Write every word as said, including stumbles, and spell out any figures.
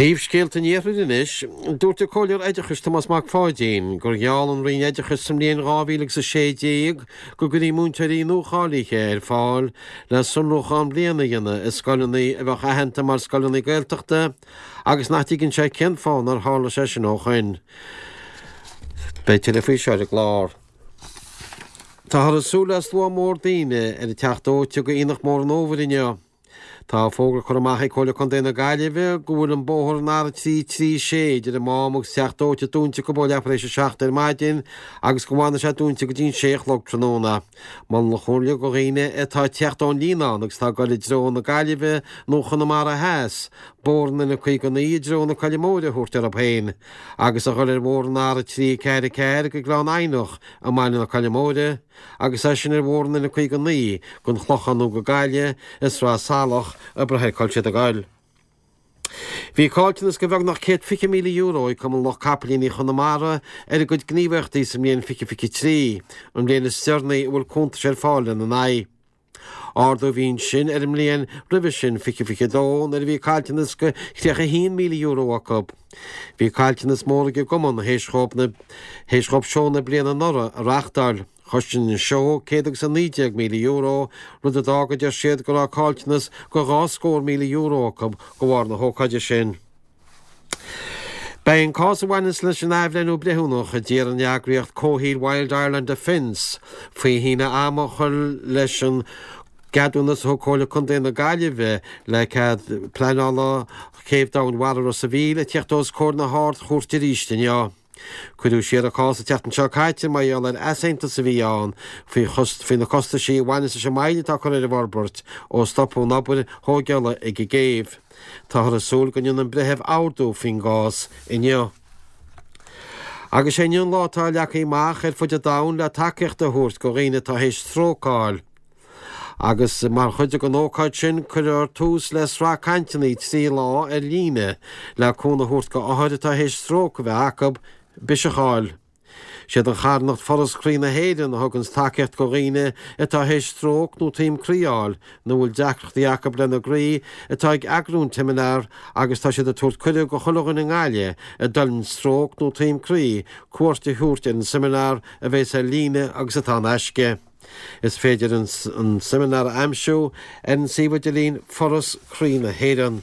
Príomhscéalta an Iarthair anois, dúirt an Comhairleoir Oideachais Tomás Mac Pháidín gur gheall an Roinn Oideachais sa mbliain dhá mhíle agus a sé déag go gcuirfí múinteoirí nuacháilithe ar fáil le sonrúchán bliana a dhéanamh i scoileanna a bheadh aitheanta mar scoileanna Gaeltachta agus nach dtuigeann sé cén fáth nár tharla sé sin ó shoin. Beidh tuilleadh faoi seo ar an gclár. Táthar ag súil le slua mór daoine ar an Teach Dóite go Aonach Mór an Fhómhair inniu. Tá fógra curtha amach ag Comhairle Contae na Gaillimhe go bhfuil an bóthar an R trí trí sé idir an Mám agus Teach Dóite dúnta acu ó leathuair éis a seacht ar maidin agus go bhfanfaidh sé dúnta go dtí an sé a chlog tráthnóna. Molann an Chomhairle go dhaoine atá ag teacht ón Líonán agus atá ag dul i dtreo na Gaillimhe nó Chonamara Theas, bóthar an N caoga naoi i dtreo na Coille Móire a thabhairt orthu féin agus a dhul ar bhóthar an R trí ceathair ceathair go Gleann Eidhneach i mbaile na Coille Móire. agus as sin ar bhóthar an N caoga naoi gon Chlochán nó go Gaillimh i Sraith Salach ag brath ar cá bhfuil siad ag goil. Bhí caillteanas go bheagnach céad fiche míle euro ag Cumann Lucht Capaillíní Chonamara ar a gcuid gníomhaíochtaí sa mbliain fiche fiche trí, an bhliain is deireanaí a bhfuil cuntais ar fáil lena n-aghaidh. Ardú a bhí ansin ar an mbliain roimhe sin, fiche fiche dó, nuair a bhí caillteanas go tríocha a haon míle euro acu. Bhí caillteanas mór ag an gcumann théis dhóibh na théis dhóibh seó na bliana anuraidh a reáchtáil. Chosain an seó céad agus a naoi déag míle euro, rud a d'fhág, a deir siad, go raibh caillteanas go dhá scór míle euro acu de bharr na hócáide sin. Beidh an cás a bhaineanns leis an athbhreithniú breithiúnach a d'iarr an eagraíocht comhshaoil Wild Ireland Defence faoi shíneadh ama a chur leis an gceadúnas a thug Comhairle Contae na Gaillimhe le cead pleanála Chéibh Domhainmhara Ros a' Mhíl ag teacht os comhair na hArd-Chúirte arís inniu. Cuireadh siar an cás an tseachtain seo caite mar gheall ar easaontas a bhí ann faoi faoi na costaisí a bhaineas leis an moill atá curtha ar an bhforbairt ó stopadh an obair thógála ag an gcéibh. Táthar ag súil go ndéanfaidh an breitheamh ordú faoin gcás inniu. Agus sé inniu an lá atá leagtha amach ar fud an domhain le tacaíocht a thabhairt go dhaoine atá théis stróc a fháil. Agus mar chuid den ócáid sin cuirfear tús le sraith cainteanna trí lá ar líne le cúnamh a thabhairt go othair atá théis stróc a bheith acu, biseach a fháil. Siad an charthanacht Foras Croí na hÉireann a thuganns tacaíocht go dhaoine atá théis stróc nó taom croí a fháil nó a bhfuil deacrachtaí acu lena gcroí atá ag eagrú an tseimineár agus tá siad ag tabhairt cuireadh go chuile dhuine i nGaillimh a d'fhulaing stróc nó taom croí cuairt a thabhairt ar an seimineár a bheas ar líne agus atá in aisce. Is féidir an seimineár a aimsiú ar an suíomh idirlín Foras Croí na hÉireann.